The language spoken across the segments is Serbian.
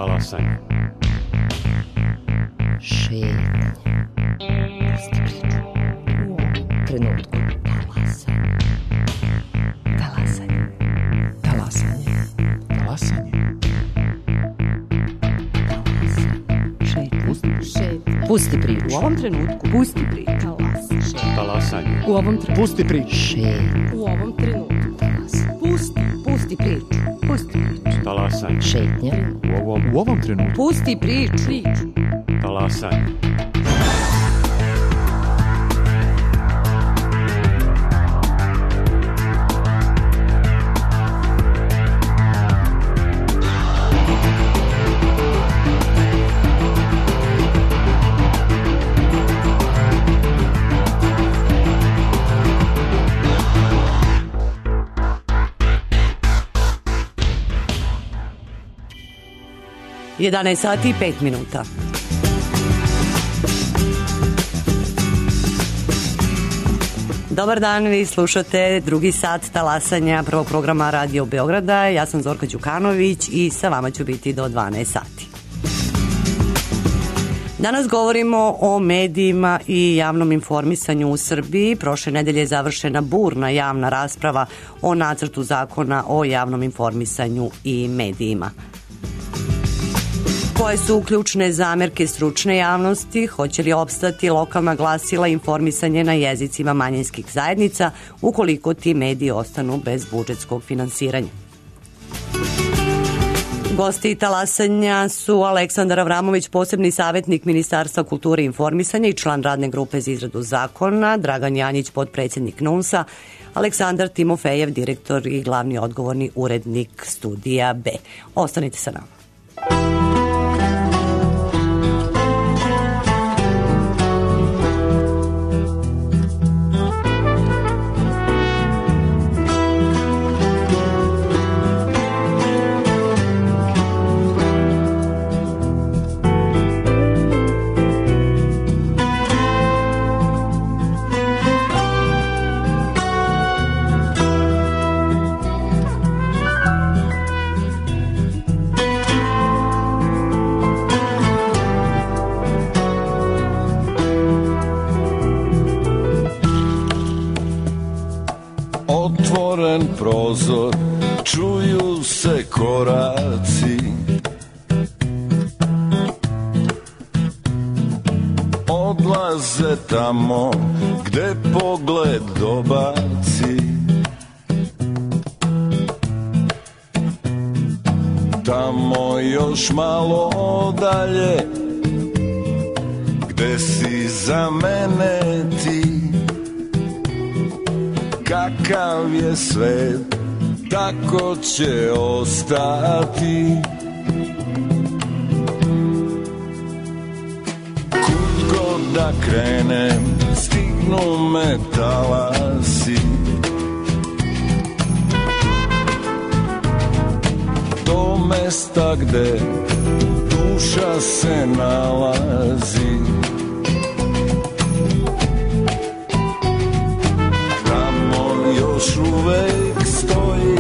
Talasanje. Šetnje. Pusti priču. U ovom trenutku. Talasanje. Talasanje. Talasanje. Šetnje. Pusti priču. U ovom trenutku. Pusti priču. Talasanje. U ovom trenutku. Pusti priču. Šetnje. U ovom trenutku. Pusti priču. Pusti priču. Talasanje. Šetnje. U ovom trenutku. Pusti priču. Talasanje. Je 11 sati i 5 minuta. Dobar dan, vi slušate drugi sat talasanja prvog programa Radio Beograda. Ja sam Zorka Đukanović i sa vama ću biti do 12 sati. Danas govorimo o medijima i javnom informisanju u Srbiji. Prošle nedelje je završena burna javna rasprava o nacrtu zakona o javnom informisanju i medijima. Koje su ključne zamerke stručne javnosti? Hoće li opstati lokalna glasila i informisanje na jezicima manjinskih zajednica ukoliko ti mediji ostanu bez budžetskog finansiranja? Gosti talasanja su Aleksandar Avramović, posebni savjetnik Ministarstva kulture i informisanja i član radne grupe za izradu zakona, Dragan Janjić, potpredsjednik NUNS-a, Aleksandar Timofejev, direktor i glavni odgovorni urednik Studija B. Ostanite sa nama. Prozor, čuju se koraci, odlaze tamo gde pogled dobaci. Tamo još malo dalje, gde si za mene ti. Kakav je svet, tako će ostati. Kud god da krenem, stignu me talasi. Do mesta gde duša se nalazi. Još uvek stoji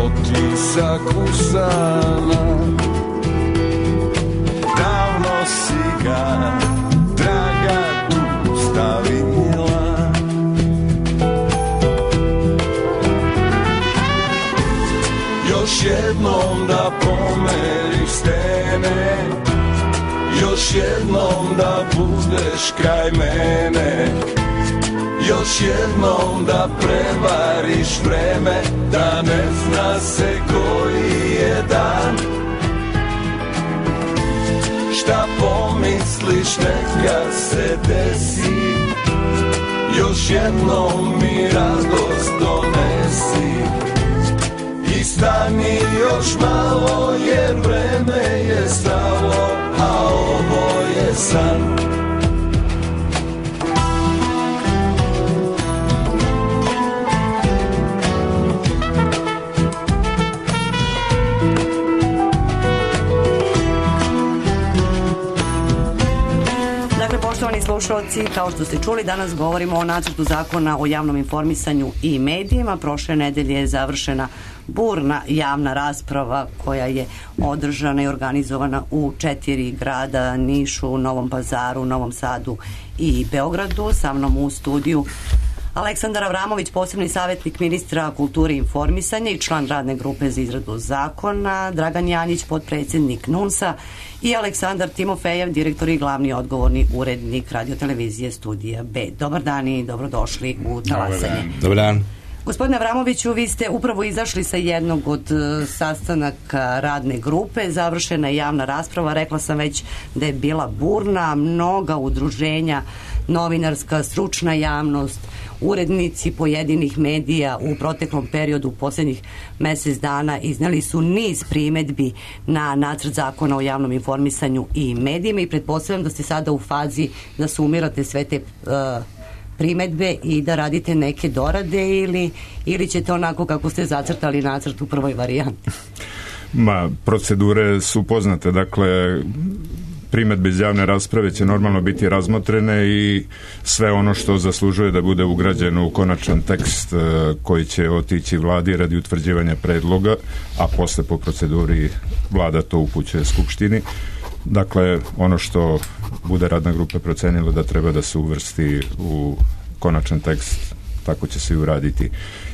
otisak usana. Davno si ga, draga, tu stavila. Još jednom da pomeriš stene, još jednom da budeš kraj mene. Još jednom da prevariš vreme, da ne zna se koji je dan. Šta pomisliš neka se desi, još jednom mi radost donesi. I stani još malo jer vreme je stalo, a ovo je san. slušalci, kao što ste čuli, danas govorimo o nacrtu zakona o javnom informisanju i medijima. Prošle nedelje je završena burna javna rasprava koja je održana i organizovana u 4 grada, Nišu, Novom Pazaru, Novom Sadu i Beogradu. Sa mnom u studiju Aleksandar Avramović, posebni savjetnik ministra kulture i informisanja i član radne grupe za izradu zakona, Dragan Janjić, potpredsjednik NUNS-a i Aleksandar Timofejev, direktor i glavni odgovorni urednik radiotelevizije Studija B. Dobar dan i dobrodošli u Talasanje. Dobar dan. Gospodine Avramoviću, vi ste upravo izašli sa jednog od sastanaka radne grupe, završena je javna rasprava, rekla sam već da je bila burna, mnoga udruženja, novinarska, stručna javnost, urednici pojedinih medija u proteklom periodu, u posljednjih mjesec dana, iznijeli su niz primjedbi na nacrt zakona o javnom informisanju i medijima i pretpostavljam da ste sada u fazi da sumirate sve te primjedbe i da radite neke dorade ili ćete onako kako ste zacrtali nacrt u prvoj varijanti? Procedure su poznate, dakle primjedbe iz javne rasprave će normalno biti razmotrene i sve ono što zaslužuje da bude ugrađeno u konačan tekst koji će otići vladi radi utvrđivanja predloga, a posle po proceduri vlada to upućuje Skupštini. Dakle, ono što bude radna grupa procenila da treba da se uvrsti u konačan tekst, tako će se i uraditi.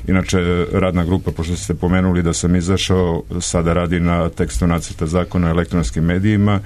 Inače, radna grupa, pošto ste pomenuli da sam izašao, sada radi na tekstu nacrta zakona o elektronskim medijima,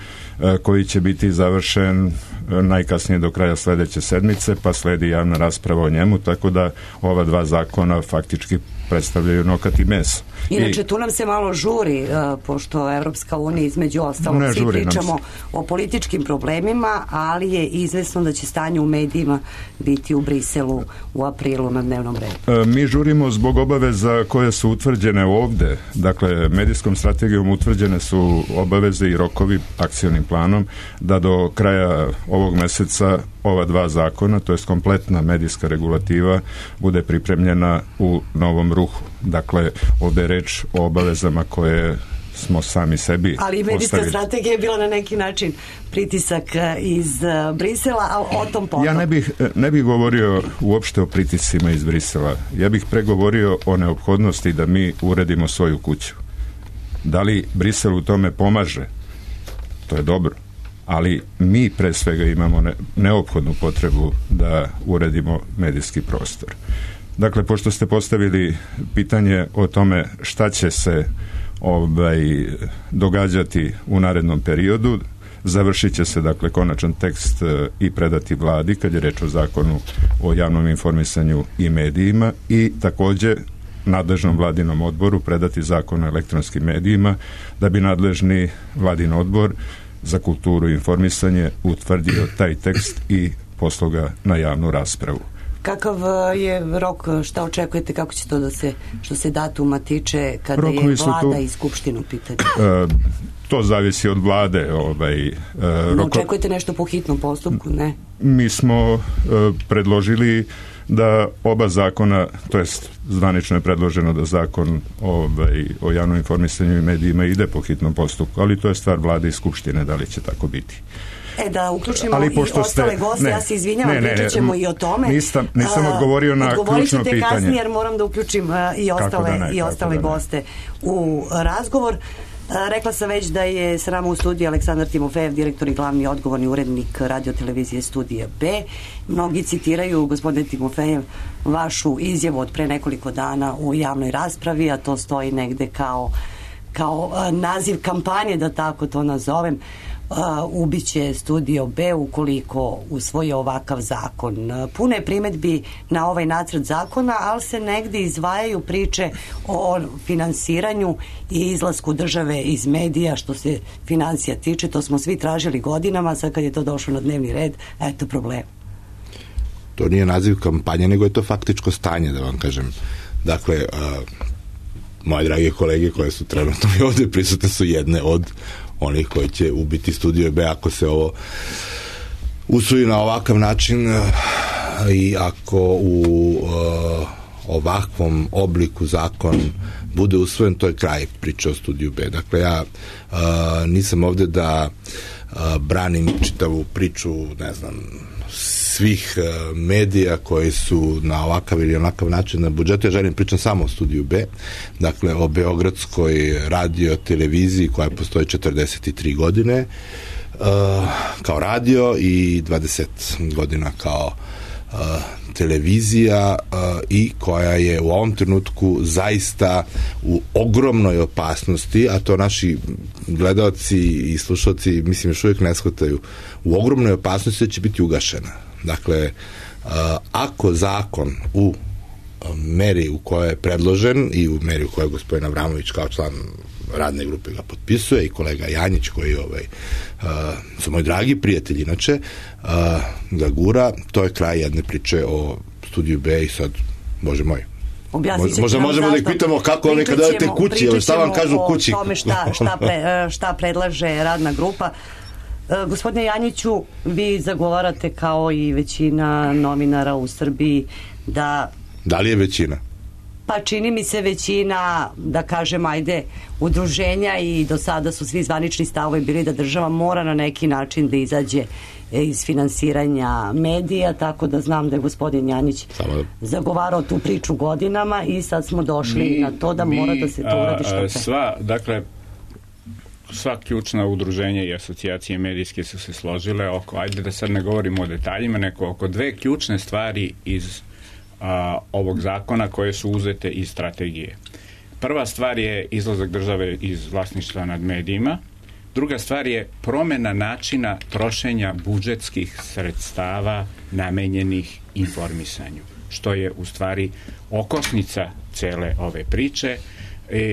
koji će biti završen najkasnije do kraja sljedeće sedmice, pa sledi javna rasprava o njemu, tako da ova 2 zakona faktički predstavljaju nokat i meso. Inače, tu nam se malo žuri, pošto Evropska unija između ostalog, svi pričamo o političkim problemima, ali je izvesno da će stanje u medijima biti u Briselu u aprilu na dnevnom redu. Mi žurimo zbog obaveza koje su utvrđene ovde. Dakle, medijskom strategijom utvrđene su obaveze i rokovi akcionim planom da do kraja ovog meseca ova 2 zakona, to je kompletna medijska regulativa, bude pripremljena u novom ruhu. Dakle, ovdje je reč o obavezama koje smo sami sebi postavili. Ali medijska strategija je bila na neki način pritisak iz Brisela, ali o tom potom. Ja ne bih govorio uopšte o pritiscima iz Brisela. Ja bih pregovorio o neophodnosti da mi uredimo svoju kuću. Da li Brisel u tome pomaže? To je dobro. Ali mi pre svega imamo neophodnu potrebu da uredimo medijski prostor. Dakle, pošto ste postavili pitanje o tome šta će se događati u narednom periodu, završit će se dakle konačan tekst i predati vladi kad je reč o zakonu o javnom informisanju i medijima i također nadležnom vladinom odboru predati zakon o elektronskim medijima da bi nadležni vladin odbor za kulturu i informisanje utvrdio taj tekst i poslao ga na javnu raspravu. Kakav je rok, šta očekujete, kako će to da se, što se datuma tiče, kada rokovi je vlada i skupštinu pitanje? To zavisi od vlade. Očekujete nešto po hitnom postupku, ne? Mi smo predložili da oba zakona, to jest zvanično je predloženo da zakon o javnom informisanju i medijima ide po hitnom postupku, ali to je stvar vlade i skupštine da li će tako biti. Da uključimo i ostale goste, ja se izvinjavam, pričat ćemo i o tome. Nisam odgovorio na ključno pitanje. Odgovorit ćete kasnije jer moram da uključim i ostale goste u razgovor. Rekla sam već da je s nama u studiju Aleksandar Timofejev, direktor i glavni odgovorni urednik radiotelevizije Studija B. Mnogi citiraju, gospodine Timofejev, vašu izjavu od pre nekoliko dana u javnoj raspravi, a to stoji negde kao naziv kampanje, da tako to nazovem. Ubiće Studio B ukoliko usvoji ovakav zakon. Puno je primjedbi na ovaj nacrt zakona, ali se negdje izdvajaju priče o finansiranju i izlasku države iz medija što se financija tiče. To smo svi tražili godinama, sad kad je to došlo na dnevni red, eto problem. To nije naziv kampanje, nego je to faktičko stanje, da vam kažem. Dakle, moje drage kolege koje su trenutno i ovdje prisutne su jedne od onih koji će ubiti Studio B ako se ovo usvoji na ovakav način i ako u ovakvom obliku zakon bude usvojen, to je kraj priče o Studiju B. Dakle, ja nisam ovde da branim čitavu priču, ne znam, svih medija koji su na ovakav ili onakav način na budžetu. Ja želim pričam samo o Studiju B, dakle o beogradskoj radio televiziji koja postoji 43 godine kao radio i 20 godina kao televizija i koja je u ovom trenutku zaista u ogromnoj opasnosti, a to naši gledaoci i slušalci mislim još uvijek ne shvataju, u ogromnoj opasnosti da će biti ugašena. Dakle, ako zakon u meri u kojoj je predložen i u meri u kojoj je gospodin Avramović kao član radne grupe ga potpisuje i kolega Janjić koji su moji dragi prijatelji inače ga gura, to je kraj jedne priče o Studiju B i sad, Bože moj, možemo da ih pitamo kako oni kada odete kući, ili šta vam kažu kući. Pričat ćemo o tome šta predlaže radna grupa. Gospodine Janjiću, vi zagovarate kao i većina novinara u Srbiji Da li je većina? Pa čini mi se većina, da kažem, ajde, udruženja i do sada su svi zvanični stavovi bili da država mora na neki način da izađe iz finansiranja medija, tako da znam da je gospodin Janjić zagovarao tu priču godinama i sad smo došli na to da mora da se to uradi što pre. Sva ključna udruženja i asocijacije medijske su se složile oko, ajde da sad ne govorimo o detaljima, nego oko dve ključne stvari iz ovog zakona koje su uzete iz strategije. Prva stvar je izlazak države iz vlasništva nad medijima. Druga stvar je promjena načina trošenja budžetskih sredstava namenjenih informisanju, što je u stvari okosnica cele ove priče.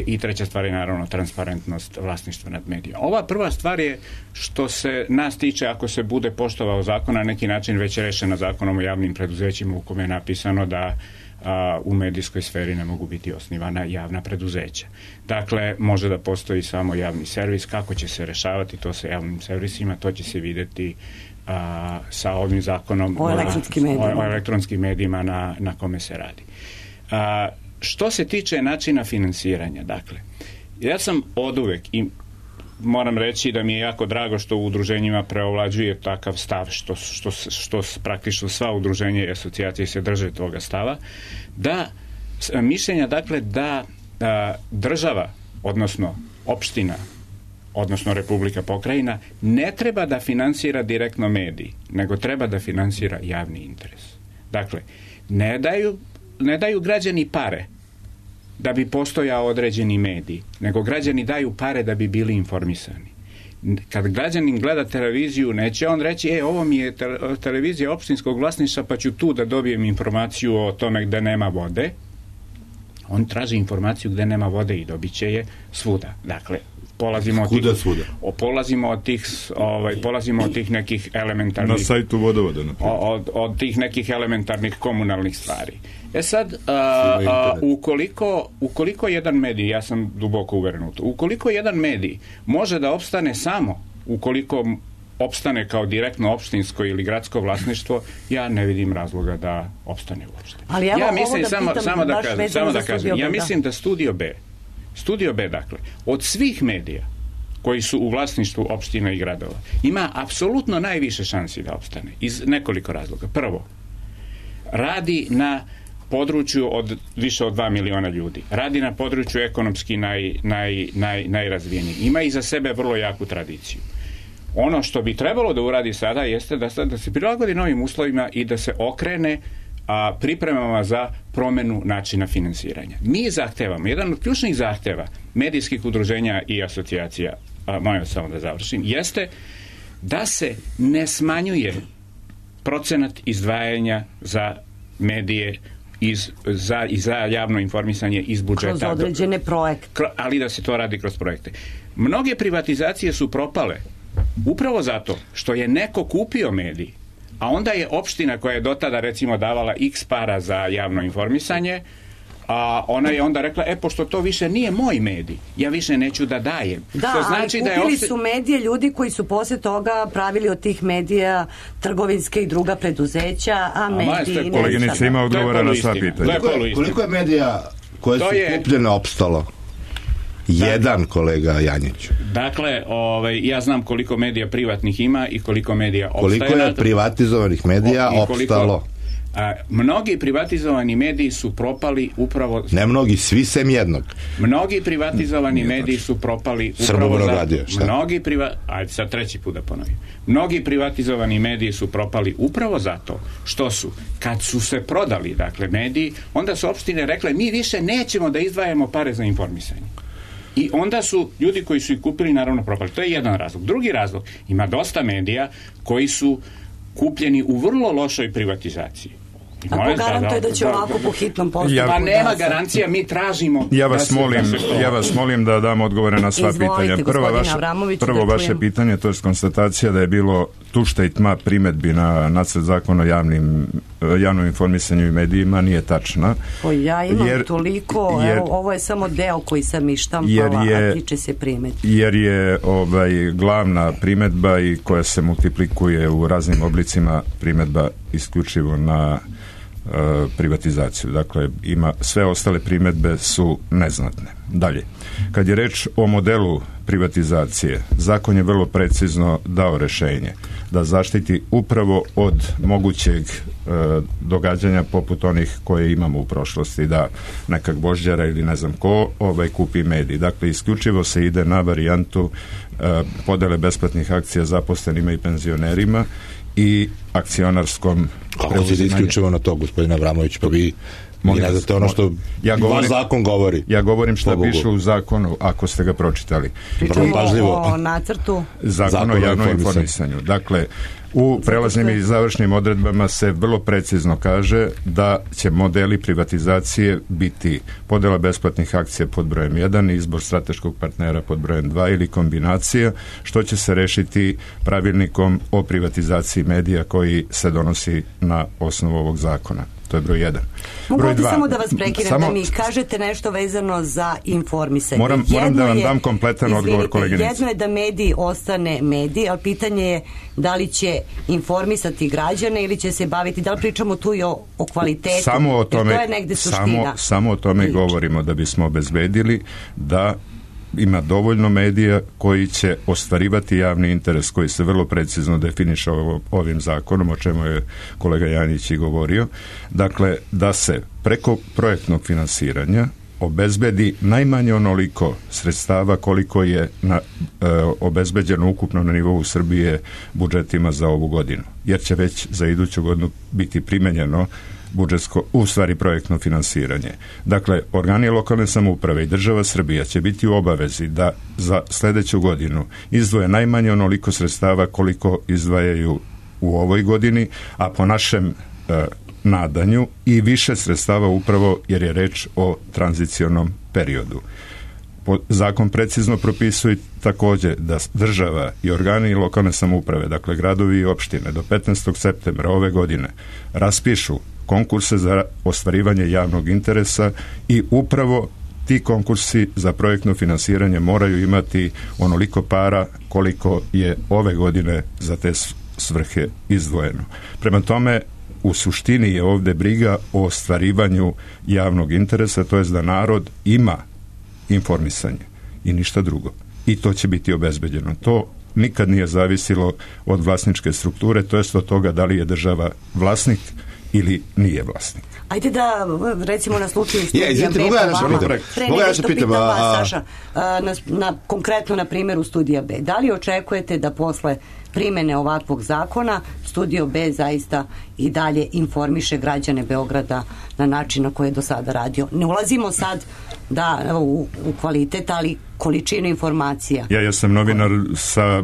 I treća stvar je naravno transparentnost vlasništva nad medijima. Ova prva stvar je što se nas tiče, ako se bude poštovao zakon, na neki način već je rešena zakonom o javnim preduzećima u kome je napisano da u medijskoj sferi ne mogu biti osnivana javna preduzeća. Dakle, može da postoji samo javni servis. Kako će se rešavati to sa javnim servisima, to će se videti sa ovim zakonom o elektronskim medijima na kome se radi. Što se tiče načina finansiranja, dakle, ja sam oduvek i moram reći da mi je jako drago što u udruženjima preovlađuje takav stav, što praktično sva udruženja i asocijacije se drže toga stava, da mišljenja, dakle, da država, odnosno opština, odnosno Republika, pokrajina, ne treba da finansira direktno mediji, nego treba da finansira javni interes. Dakle, ne daju građani pare da bi postojao određeni medij, nego građani daju pare da bi bili informisani. Kad građanin gleda televiziju, neće on reći, ovo mi je televizija opštinskog vlasništva, pa ću tu da dobijem informaciju o tome gde nema vode. On traži informaciju gde nema vode i dobit će je svuda. Dakle, polazimo od tih nekih elementarnih... Na sajtu vodovoda. Od tih nekih elementarnih komunalnih stvari. Sad, ukoliko jedan medij, ja sam duboko uveren u to, ukoliko jedan medij može da opstane samo ukoliko opstane kao direktno opštinsko ili gradsko vlasništvo, ja ne vidim razloga da opstane uopšte. Ja mislim, samo da kažem, ja mislim da Studio B, dakle, od svih medija koji su u vlasništvu opština i gradova, ima apsolutno najviše šansi da opstane iz nekoliko razloga. Prvo, radi na području od više od 2 miliona ljudi. Radi na području ekonomski najrazvijeniji. Ima iza sebe vrlo jaku tradiciju. Ono što bi trebalo da uradi sada jeste da se prilagodi novim uslovima i da se okrene pripremama za promenu načina finansiranja. Mi zahtevamo, jedan od ključnih zahteva medijskih udruženja i asocijacija, molim samo da završim, jeste da se ne smanjuje procenat izdvajanja za medije za javno informisanje iz budžeta. Kroz određene projekte. Ali da se to radi kroz projekte. Mnoge privatizacije su propale upravo zato što je neko kupio medij, a onda je opština koja je do tada recimo davala x para za javno informisanje, a ona je onda rekla, pošto to više nije moj medij, ja više neću da dajem. Da, što znači ali kupili su medije ljudi koji su poslije toga pravili od tih medija trgovinske i druga preduzeća, a mediji... Koleginica ima odgovora na sva pitanja. Koliko je medija koje su kupljene opstalo? Jedan kolega Janjić. Dakle, ja znam koliko medija privatnih ima i koliko medija opstaje. Koliko je privatizovanih medija opstalo? Mnogi privatizovani mediji su propali upravo... Ne mnogi, svi sem jednog. Mnogi privatizovani mediji su propali upravo Ajde sad treći put da ponovim. Mnogi privatizovani mediji su propali upravo zato što su, kad su se prodali, dakle, mediji, onda su opštine rekle, mi više nećemo da izdvajamo pare za informisanje. I onda su ljudi koji su ih kupili naravno propali. To je jedan razlog. Drugi razlog, ima dosta medija koji su kupljeni u vrlo lošoj privatizaciji. A ko garantuje da će ovako po hitnom postupku? Pa nema garancija, mi tražimo... Ja vas molim da dam odgovore na sva pitanja. Prvo vaše pitanje, to je konstatacija da je bilo tušta i tma primedbi na nacrt zakona o javnom informisanju i medijima, nije tačna. Ja imam toliko, ovo je samo deo koji sam ištampala, a tiče se primedbi. Jer je glavna primedba i koja se multiplikuje u raznim oblicima primedba isključivo na privatizaciju. Dakle, sve ostale primedbe su neznatne. Dalje, kad je reč o modelu privatizacije, zakon je vrlo precizno dao rešenje da zaštiti upravo od mogućeg događanja poput onih koje imamo u prošlosti, da nekak vožđara ili ne znam ko kupi medij. Dakle, isključivo se ide na varijantu podele besplatnih akcija zaposlenima i penzionerima i akcionarskom preuzimanju. Kako se isključivo na to, gospodine Avramović, pa vi ne znate ono što vaš zakon govori. Ja govorim šta piše u zakonu, ako ste ga pročitali. Pričamo o nacrtu Zakon o javnom informisanju. Dakle, u prelaznim i završnim odredbama se vrlo precizno kaže da će modeli privatizacije biti podela besplatnih akcija pod brojem 1, izbor strateškog partnera pod brojem 2 ili kombinacija, što će se rešiti pravilnikom o privatizaciji medija koji se donosi na osnovu ovog zakona. To je broj 1. Mogu ti samo da vas prekinem, da mi kažete nešto vezano za informisanje. Moram da vam dam kompletan odgovor, koleginice. Jedno je da medij ostane medij, ali pitanje je da li će informisati građane ili će se baviti, da li pričamo tu i o kvalitetu. Samo o tome, to je negde suština. Samo o tome govorimo, da bismo obezbedili da ima dovoljno medija koji će ostvarivati javni interes koji se vrlo precizno definiše ovim zakonom, o čemu je kolega Janjić i govorio. Dakle, da se preko projektnog finansiranja obezbedi najmanje onoliko sredstava koliko je obezbeđeno ukupno na nivou Srbije budžetima za ovu godinu. Jer će već za iduću godinu biti primenjeno projektno finansiranje. Dakle, organi lokalne samouprave i država Srbija će biti u obavezi da za sledeću godinu izdvoje najmanje onoliko sredstava koliko izdvajaju u ovoj godini, a po našem nadanju i više sredstava upravo jer je reč o tranzicionom periodu. Zakon precizno propisuje također da država i organi lokalne samouprave, dakle gradovi i opštine, do 15. septembra ove godine raspišu konkurse za ostvarivanje javnog interesa i upravo ti konkursi za projektno finansiranje moraju imati onoliko para koliko je ove godine za te svrhe izdvojeno. Prema tome, u suštini je ovdje briga o ostvarivanju javnog interesa, to jest da narod ima informisanje i ništa drugo. I to će biti obezbeđeno. To nikad nije zavisilo od vlasničke strukture, to jest od toga da li je država vlasnik ili nije vlasnik. Ajde da, recimo na slučaju studija B, pitam vas, Saša, konkretno na primjeru studija B. Da li očekujete da posle primene ovakvog zakona Studio B zaista i dalje informiše građane Beograda na način na koji je do sada radio? Ne ulazimo sad u kvalitet, ali količinu informacija. Ja sam novinar, sa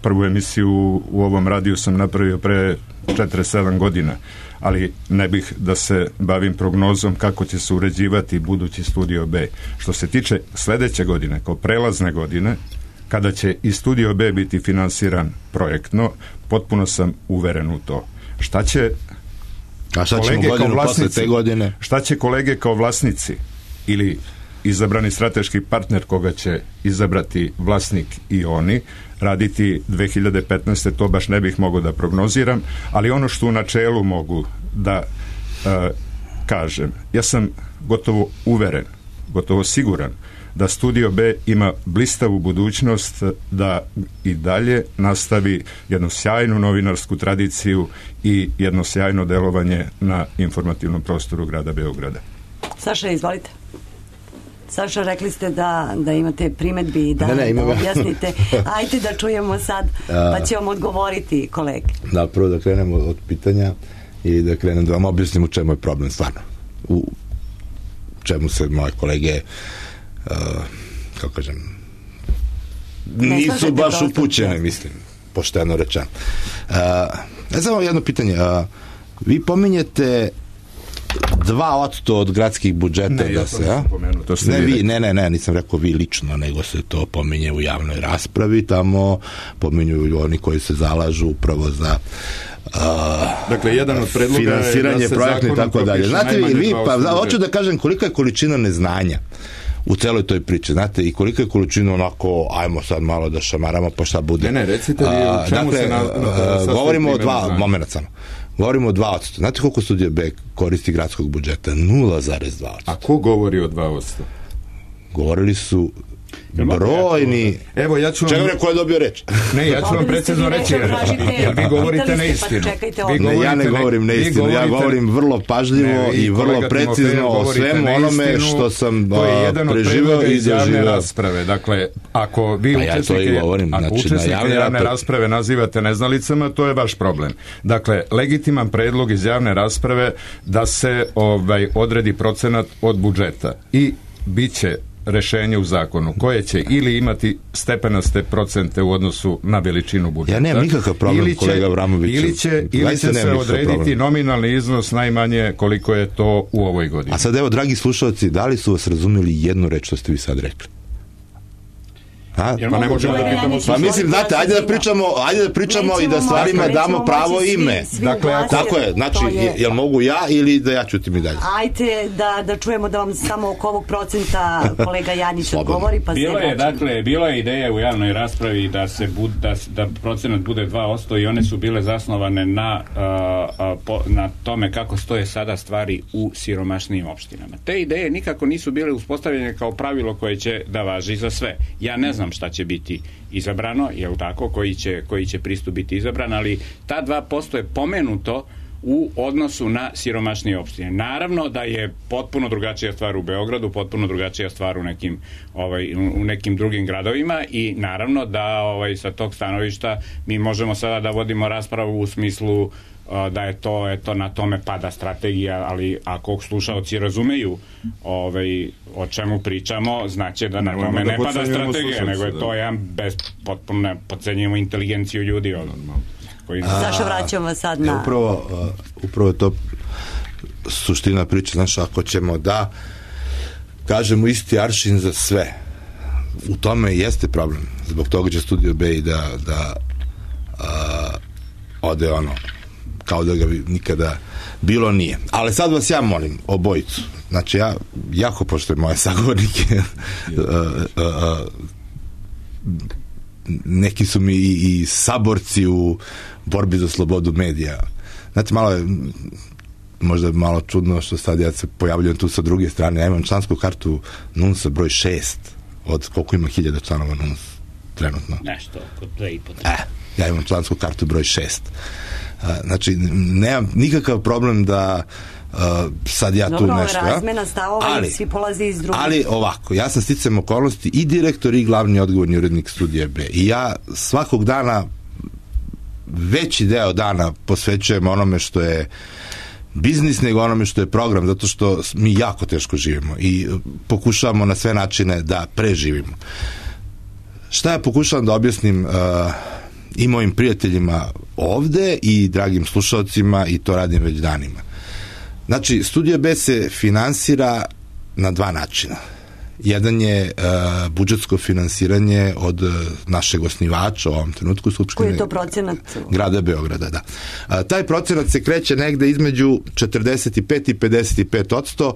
prvu emisiju u ovom radiju sam napravio pre 47 godina, ali ne bih da se bavim prognozom kako će se uređivati budući Studio B. Što se tiče sledeće godine, kao prelazne godine, kada će i Studio B biti finansiran projektno, potpuno sam uveren u to. Šta će A šta ćemo godinu posle te godine? Šta će kolege kao vlasnici ili izabrani strateški partner koga će izabrati vlasnik i oni raditi 2015. to baš ne bih mogao da prognoziram, ali ono što u načelu mogu da kažem, ja sam gotovo uveren, gotovo siguran da Studio B ima blistavu budućnost da i dalje nastavi jednu sjajnu novinarsku tradiciju i jedno sjajno delovanje na informativnom prostoru grada Beograda. Saša, izvolite. Saša, rekli ste da imate primedbi i da objasnite. Ajde da čujemo sad, pa će vam odgovoriti kolege. Da, prvo da krenemo od pitanja i da krenem da vam objasnim u čemu je problem stvarno. U čemu se moje kolege kako kažem nisu baš upućene, mislim, pošteno rečeno. Samo jedno pitanje. Vi pominjete 2% od gradskih budžeta da se... Ne, nisam rekao vi lično, nego se to pominje u javnoj raspravi, tamo pominju oni koji se zalažu upravo za dakle, jedan od predloga finansiranje projektne i tako dalje. Znate vi, hoću da kažem kolika je količina neznanja u celoj toj priči, znate, i kolika je količina onako, ajmo sad malo da šamaramo, pa šta bude. Ne, recite vi u čemu se govorimo o moment samo. Govorimo o 2%. Znate koliko Studio B koristi gradskog budžeta? 0,2%. A ko govori o 2%? Govorili su brojni... Evo, ja ću vam... Čekaj, ko je dobio reč? Ne, ja ću vam precizno reći, jer vi govorite neistinu. Ja ne govorim neistinu, ja govorim vrlo pažljivo i vrlo precizno o svemu onome što sam preživao i doživao. Dakle, ako vi učesnike javne rasprave nazivate neznalicama, to je vaš problem. Dakle, legitiman predlog iz javne rasprave da se odredi procenat od budžeta i bit će rešenje u zakonu koje će ili imati stepenaste procente u odnosu na veličinu budžeta. Ja nemam nikakav problem, kolega Vramoviću. Ili će se odrediti nominalni iznos najmanje koliko je to u ovoj godini. A sad evo, dragi slušalci, da li su vas razumeli jednu reč što ste vi sad rekli? Pa ne možemo da pitamo. Pa mislim, znate, ajde da pričamo i da stvarima damo pravo ime. Tako je, znači, jel mogu ja ili da ja ćutim i dalje? Ajde da čujemo da vam samo oko ovog procenta kolega Janjić odgovori. Bilo je ideja u javnoj raspravi da procenat bude 2% i one su bile zasnovane na tome kako stoje sada stvari u siromašnijim opštinama. Te ideje nikako nisu bile uspostavljene kao pravilo koje će da važi za sve. Ja ne znam šta će biti izabrano, jel tako, koji će pristup biti izabran, ali ta 2% je pomenuto u odnosu na siromašnije opštine. Naravno da je potpuno drugačija stvar u Beogradu, potpuno drugačija stvar u nekim drugim gradovima i naravno da sa tog stanovišta mi možemo sada da vodimo raspravu u smislu da je to, eto, na tome pada strategija, ali ako slušaoci razumeju o čemu pričamo, znači da na tome ne pada strategija, nego je to jedan potpuno podcenjujemo inteligenciju ljudi. Zašto vraćamo vas sad na... Upravo je to suština priče, znaš, ako ćemo da kažemo isti aršin za sve, u tome jeste problem. Zbog toga će Studio B i da ode kao da ga nikada bilo nije. Ali sad vas ja molim, obojicu. Znači, ja jako poštujem moje sagovornike. Neki su mi i saborci u borbi za slobodu medija. Znate, možda malo čudno što sad ja se pojavljujem tu sa druge strane. Ja imam člansku kartu NUNS-a broj 6 od koliko ima 1000 članova NUNS trenutno. Nešto, oko 2,5. Ja imam člansku kartu broj 6. Znači, nemam nikakav problem da sad ja tu nešto. Dobro, razmena stavova i svi polazi iz drugih. Ali ovako, ja sam sticajem okolnosti i direktor i glavni odgovorni urednik Studija B. I ja svakog dana, veći deo dana posvećujem onome što je biznis nego onome što je program, zato što mi jako teško živimo i pokušavamo na sve načine da preživimo. Šta ja pokušavam da objasnim i mojim prijateljima ovde i dragim slušalcima, i to radim već danima. Znači, Studio B se finansira na 2 načina. jedan je budžetsko finansiranje od našeg osnivača u ovom trenutku Skupštine. Koji je to procenat? Grada Beograda, da. Taj procenat se kreće negde između 45 i 55%,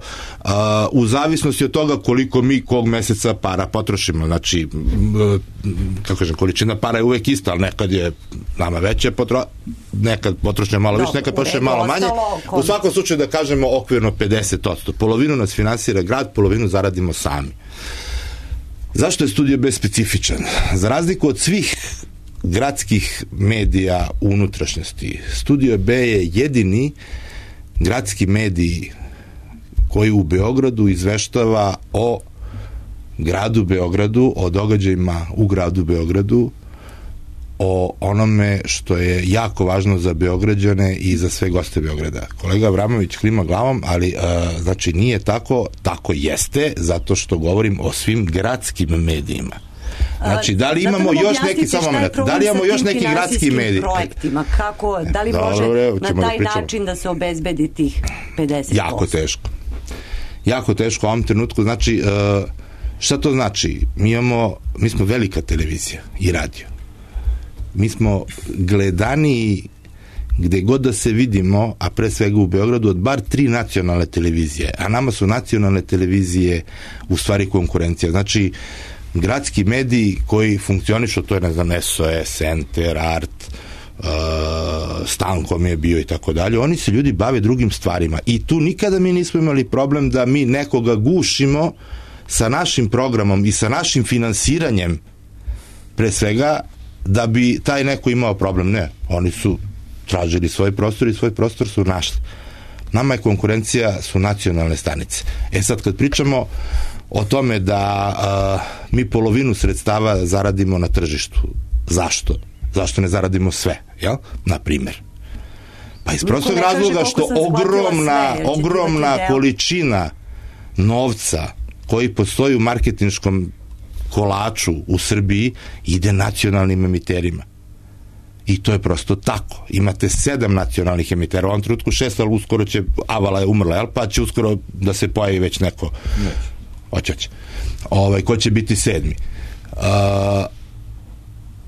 u zavisnosti od toga koliko mi kog meseca para potrošimo. Znači, kako kažem, količina para je uvek ista, ali nekad je nama veća nekad potrošnja malo više, nekad potrošnja malo manje. U svakom slučaju da kažemo okvirno 50%. Polovinu nas finansira grad, polovinu zaradimo sami. Zašto je Studio B specifičan? Za razliku od svih gradskih medija u unutrašnjosti, Studio B je jedini gradski medij koji u Beogradu izveštava o gradu Beogradu, o događajima u gradu Beogradu, o onome što je jako važno za Beograđane i za sve goste Beograda. Kolega Avramović klima glavom, ali znači nije tako, tako jeste, zato što govorim o svim gradskim medijima. Znači, da li imamo još neki, samo moment, da li imamo još neki gradski medij? Projektima, kako, da li može na taj način da se obezbedi tih 50%? Jako teško. Jako teško u ovom trenutku. Znači, šta to znači? Mi smo velika televizija i radio. Mi smo gledaniji gde god da se vidimo, a pre svega u Beogradu, od bar 3 nacionalne televizije. A nama su nacionalne televizije u stvari konkurencija. Znači, gradski mediji koji funkcionišu, to je, ne znam, SOS, Enter, Art, Stankom je bio i tako dalje, oni se ljudi bave drugim stvarima. I tu nikada mi nismo imali problem da mi nekoga gušimo sa našim programom i sa našim finansiranjem, pre svega, da bi taj neko imao problem. Ne, oni su tražili svoj prostor i svoj prostor su našli. Nama je konkurencija su nacionalne stanice. Sad kad pričamo o tome da mi polovinu sredstava zaradimo na tržištu, zašto? Zašto ne zaradimo sve, jel? Na primer. Pa iz prostog razloga što ogromna količina novca koji postoji u marketinškom kolaču u Srbiji ide nacionalnim emiterima. I to je prosto tako. Imate 7 nacionalnih emitera, u ovom trenutku 6, ali uskoro će, Avala je umrla, jel? Pa će uskoro da se pojavi već neko. Hoće. Ko će biti 7.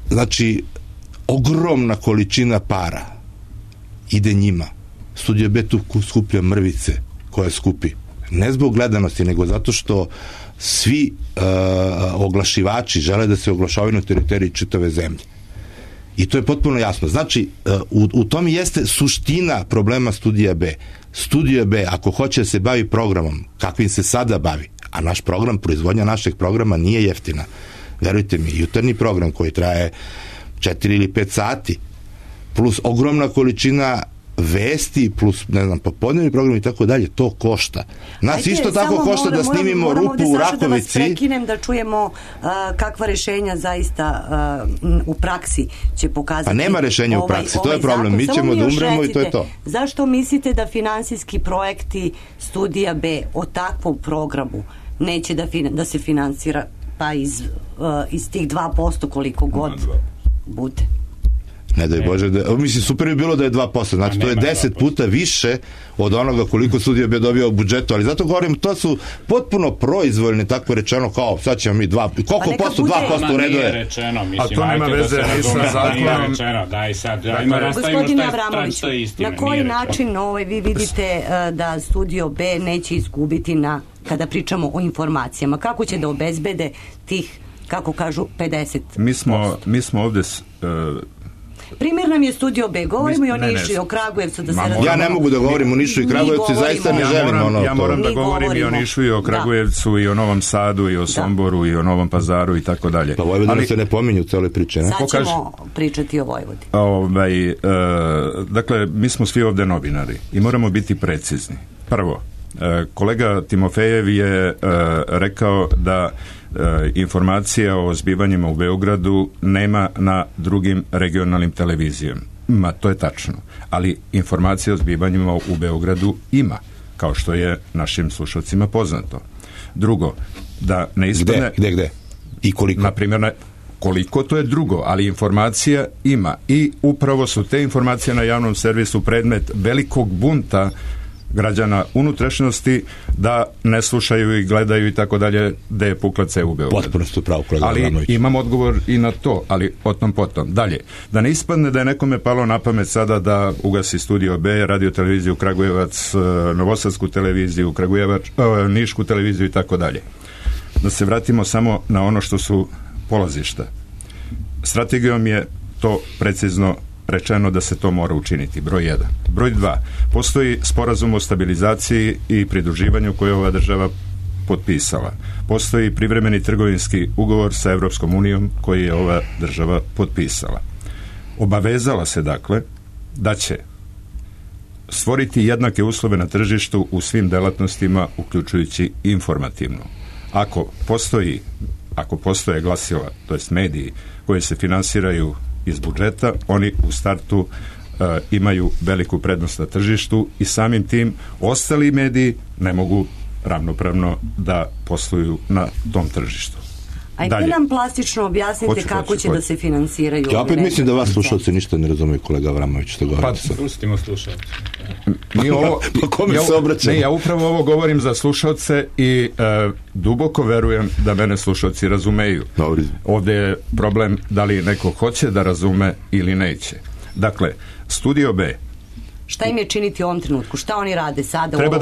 Znači, ogromna količina para ide njima. Studio B tu skuplja mrvice koje skupi. Ne zbog gledanosti, nego zato što svi oglašivači žele da se oglašavaju na teritoriji čitave zemlje. I to je potpuno jasno. Znači, u tom jeste suština problema Studija B. Studio B, ako hoće da se bavi programom, kakvim se sada bavi, a naš program, proizvodnja našeg programa nije jeftina. Verujte mi, jutarnji program koji traje 4 ili 5 sati, plus ogromna količina vesti, plus, ne znam, popodnevni program i tako dalje, to košta. Nas isto tako košta da snimimo rupu u Rakovici. Da vas prekinem, da čujemo kakva rešenja zaista u praksi će pokazati. Pa nema rešenja u praksi, to je problem. Mi ćemo da umremo i to je to. Zašto mislite da finansijski projekti Studija B o takvom programu neće da se finansira pa iz tih 2% koliko god bude? Ne daj Bože, mislim, super bi bilo da je 2%, znači to je 10 puta više od onoga koliko Studio B dobio u budžetu, ali zato govorim, to su potpuno proizvoljni, tako rečeno, kao sad ćemo mi 2%, koliko posto 2% u redu je? A to nema veze ni sa zakonom. Gospodine Avramović, na koji način vi vidite da Studio B neće izgubiti kada pričamo o informacijama? Kako će da obezbede tih, kako kažu, 50%? Mi smo ovde primjer nam je Studio B, govorimo i o Nišu i o Kragujevcu, da se razumemo. Ja ne mogu da govorim o Nišu i Kragujevcu, zaista ne želim ono. Ja moram da govorim i o Nišu i o Kragujevcu i o Novom Sadu i o Somboru i o Novom Pazaru i tako dalje. Pa Vojvodina se ne pominju u celoj priči, ne? Sad ćemo pričati o Vojvodini. Dakle, mi smo svi ovde novinari i moramo biti precizni. Prvo, kolega Timofejev je rekao da informacija o zbivanjima u Beogradu nema na drugim regionalnim televizijama. To je tačno. Ali informacija o zbivanjima u Beogradu ima, kao što je našim slušalcima poznato. Drugo, da ne ispadne... Gde? I koliko? Naprimjer, koliko, to je drugo, ali informacija ima. I upravo su te informacije na javnom servisu predmet velikog bunta građana unutrašnjosti da ne slušaju i gledaju i tako dalje da je pukla cev u Beogradu. Potpuno ste pravo, kolega Avramović. Ali imam odgovor i na to, ali o tom potom. Dalje, da ne ispadne da je nekome palo na pamet sada da ugasi Studio B, radio televiziju Kragujevac, Novosadsku televiziju, Nišku televiziju i tako dalje. Da se vratimo samo na ono što su polazišta. Strategijom je to precizno rečeno da se to mora učiniti, broj 1. Broj 2. Postoji sporazum o stabilizaciji i pridruživanju koje je ova država potpisala. Postoji privremeni trgovinski ugovor sa Evropskom unijom koji je ova država potpisala. Obavezala se, dakle, da će stvoriti jednake uslove na tržištu u svim delatnostima, uključujući informativnu. Ako postoje glasila, to jest mediji, koji se finansiraju iz budžeta, oni u startu imaju veliku prednost na tržištu i samim tim ostali mediji ne mogu ravnopravno da posluju na tom tržištu. Ajde nam plastično objasnite kako će da se finansiraju. Ja opet mislim da vas slušalci ništa ne razumiju, kolega Avramović, što govorite. Pa pustimo slušalci. Pa kome se obraćamo? Ne, ja upravo ovo govorim za slušalce i duboko verujem da mene slušalci razumeju. Dobri. Ovdje je problem da li neko hoće da razume ili neće. Dakle, Studio B. Šta im je činiti u ovom trenutku? Šta oni rade sada u Treba ovom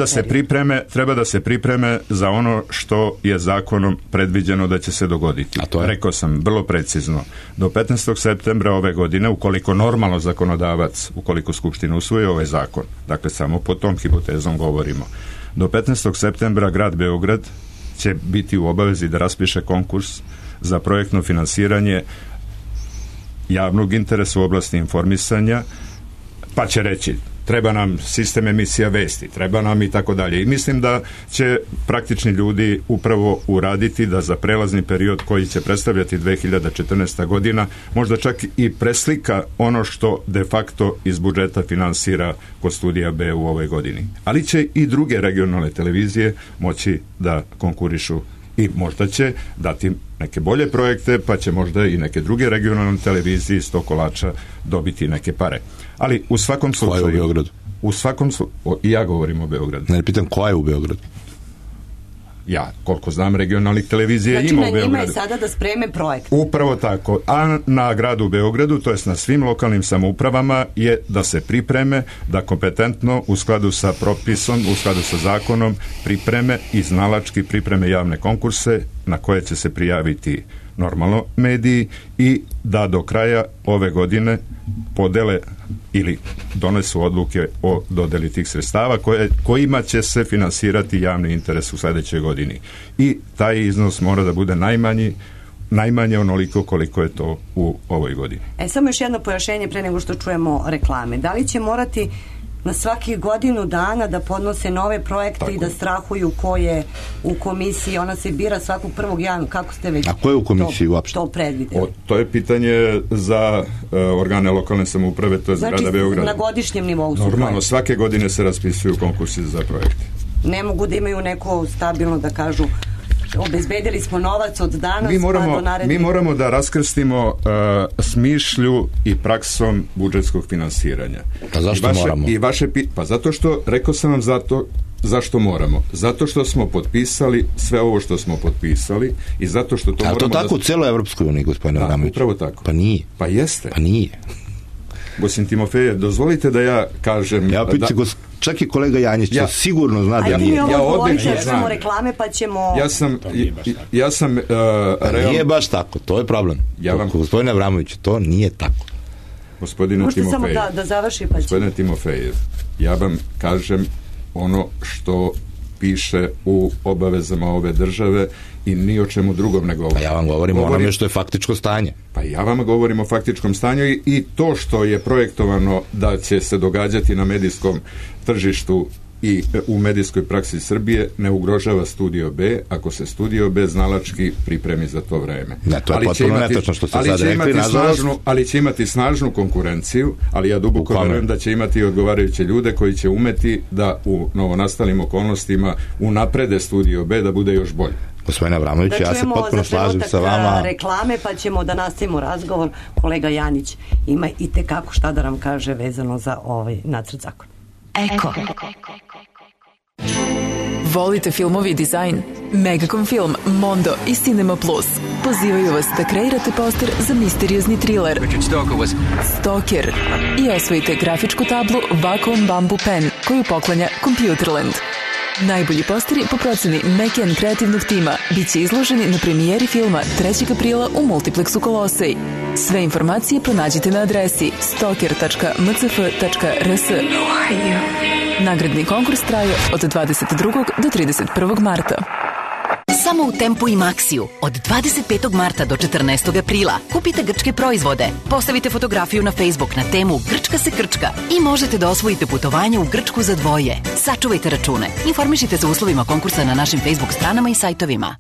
da se pripreme za ono što je zakonom predviđeno da će se dogoditi. Rekao sam vrlo precizno. Do 15. septembra ove godine, ukoliko normalno zakonodavac, ukoliko Skupština usvoji ovaj zakon, dakle samo po tom hipotezom govorimo, do 15. septembra grad Beograd će biti u obavezi da raspiše konkurs za projektno finansiranje javnog interesa u oblasti informisanja, pa će reći treba nam sistem emisija vesti, treba nam i tako dalje. I mislim da će praktični ljudi upravo uraditi da za prelazni period koji će predstavljati 2014. godina možda čak i preslika ono što de facto iz budžeta finansira kod Studija B u ovoj godini. Ali će i druge regionalne televizije moći da konkurišu i možda će dati neke bolje projekte, pa će možda i neke druge regionalne televizije iz tog kolača dobiti neke pare. Ali u svakom slučaju... Koja je u Beogradu? I ja govorim o Beogradu. Ne pitam koja je u Beogradu? Ja, koliko znam, regionalnih televizija ima u Beogradu. Znači na njima je sada da spreme projekt. Upravo tako. A na gradu Beogradu, to jest na svim lokalnim samoupravama, je da se pripreme, da kompetentno, u skladu sa propisom, u skladu sa zakonom, pripreme i znalački pripreme javne konkurse na koje će se prijaviti normalno mediji i da do kraja ove godine podele ili donesu odluke o dodeli tih sredstava kojima će se finansirati javni interes u sljedećoj godini. I taj iznos mora da bude najmanje onoliko koliko je to u ovoj godini. Samo još jedno pojašnjenje pre nego što čujemo reklame. Da li će morati na svakih godinu dana da podnose nove projekte i da strahuju ko je u komisiji? Ona se bira svakog 1. januara. Kako ste već ko je u komisiji uopšte? To predvideli? To je pitanje za organe lokalne samouprave, to je znači, grada Beograda. Na godišnjem nivou su normalno, projekte. svake godine se raspisuju konkursi za projekte. Ne mogu da imaju neko stabilno da kažu obezbedili smo novac od danas do narednih... Mi moramo da raskrstimo smišlju i praksom budžetskog finansiranja. A zašto moramo? Pa zato što, rekao sam vam zašto moramo. Zato što smo potpisali sve ovo što smo potpisali i zato što to moramo... Ali to tako u celoj Evropskoj uniji, gospodine Avramović? Upravo tako. Pa nije. Pa jeste. Pa nije. Gosim Timofeje, dozvolite da ja kažem... Ja pitam, čak i kolega Janjić sigurno zna da nije. Ja odlično znam. Reklame pa ćemo... Nije baš tako, to je problem. Gospodine Avramović, to nije tako. Gospodine Timofeje. Možete samo da završi pa ćemo. Gospodine Timofeje, ja vam kažem ono što piše u obavezama ove države i ni o čemu drugom ne govorim. Pa ja vam govorim o onome što je faktičko stanje. Pa ja vam govorim o faktičkom stanju i to što je projektovano da će se događati na medijskom tržištu i u medijskoj praksi Srbije ne ugrožava Studio B ako se Studio B znalački pripremi za to vreme. Ne, to je potpuno netačno što ste sad rekli. Ali će imati snažnu konkurenciju, ali ja duboko verujem da će imati odgovarajuće ljude koji će umeti da u novonastalim okolnostima unaprede Studio B da bude još bolje. Gospodine Avramović, ja se potpuno slažem sa vama. Reklame pa ćemo da nastavimo razgovor. Kolega Janić ima i tekako šta da nam kaže vezano za ovaj nacrt zakona. Eko. Volite filmovi i dizajn? Megacom Film, Mondo i Cinema Plus pozivaju vas da kreirate poster za misteriozni thriller Stalker i osvojite grafičku tablu Wacom Bamboo Pen koju poklanja Computerland. Najbolji posteri po proceni Mekian kreativnog tima bit će izloženi na premijeri filma 3. aprila u Multiplexu Kolosej. Sve informacije pronađite na adresi stalker.mcf.rs. Nagradni konkurs traje od 22. do 31. marta. Samo u Tempu i Maxiju od 25. marta do 14. aprila kupite grčke proizvode, postavite fotografiju na Facebook na temu Grčka se krčka i možete da osvojite putovanje u Grčku za dvoje. Sačuvajte račune. Informišite se o uslovima konkursa na našim Facebook stranama i sajtovima.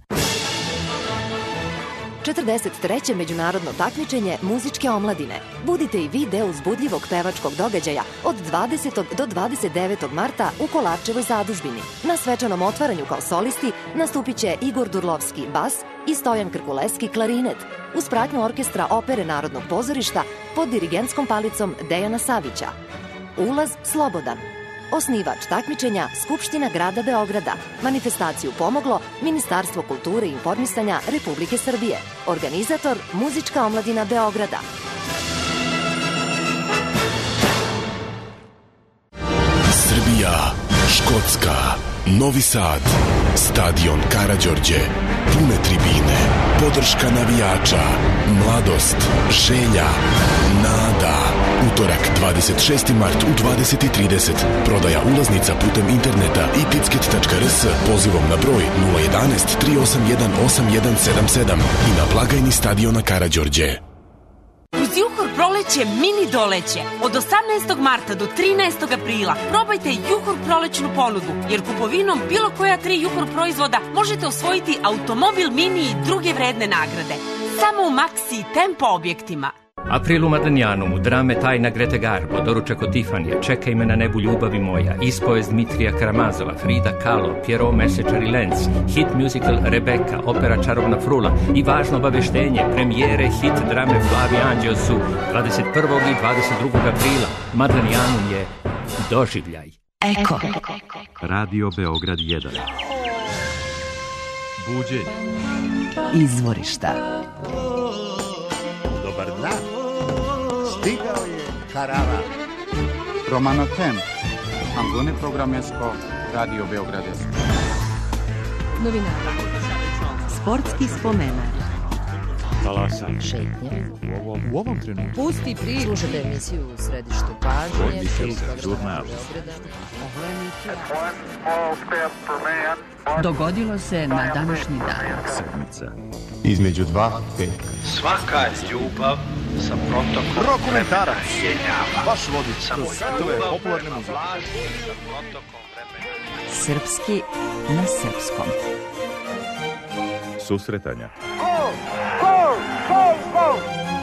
43. međunarodno takmičenje muzičke omladine. Budite i vi deo uzbudljivog pevačkog događaja od 20. do 29. marta u Kolarčevoj zadužbini. Na svečanom otvaranju kao solisti nastupit će Igor Durlovski bas i Stojan Krkuleski klarinet uz pratnju orkestra Opere Narodnog pozorišta pod dirigentskom palicom Dejana Savića. Ulaz slobodan. Osnivač takmičenja Skupština grada Beograda. Manifestaciju pomoglo Ministarstvo kulture i informisanja Republike Srbije. Organizator Muzička omladina Beograda. Srbija, Škotska, Novi Sad, stadion Karađorđe, pune tribine, podrška navijača, mladost, želja, nada. Utorak, 26. mart u 20:30. Prodaja ulaznica putem interneta i ticket.rs pozivom na broj 011 381 8177 i na blagajni stadiona Karađorđe. Uz Juhor proleće mini doleće. Od 18. marta do 13. aprila probajte Juhor prolećnu ponudu, jer kupovinom bilo koja 3 Juhor proizvoda možete osvojiti automobil mini i druge vredne nagrade. Samo u Maxi i Tempo objektima. April u Madlenjanu, drame Tajna Grete Garbo, doručak od Tifanija, Čekaj me na nebu ljubavi moja, ispovest Dmitrija Karamazova, Frida Kahlo, Pierrot Mesečar i Lenz, hit musical Rebeka, opera Čarovna frula i važno obaveštenje, premijere hit drame Plavi anđeo su 21. i 22. aprila. Madlenjanum je doživljaj. Eko. Radio Beograd 1. Buđenje. Izvorišta. Dobar dan. Stigao je karavan. Romano Temp. Angone programesko Radio Beograd. Novinara. Sportski spomenar. Talasanje. Šetnje. U ovom trenutku. Pusti priču. Slušajte emisiju u središtu pažnje. Žurnal. Dogodilo se na današnji dan. Sedmica. Između 2 5. Svaka ljubav sa protokom Rokomentarac. Baš vodi samo svetove popularne muzike. Srpski na srpskom. Susretanja. Go!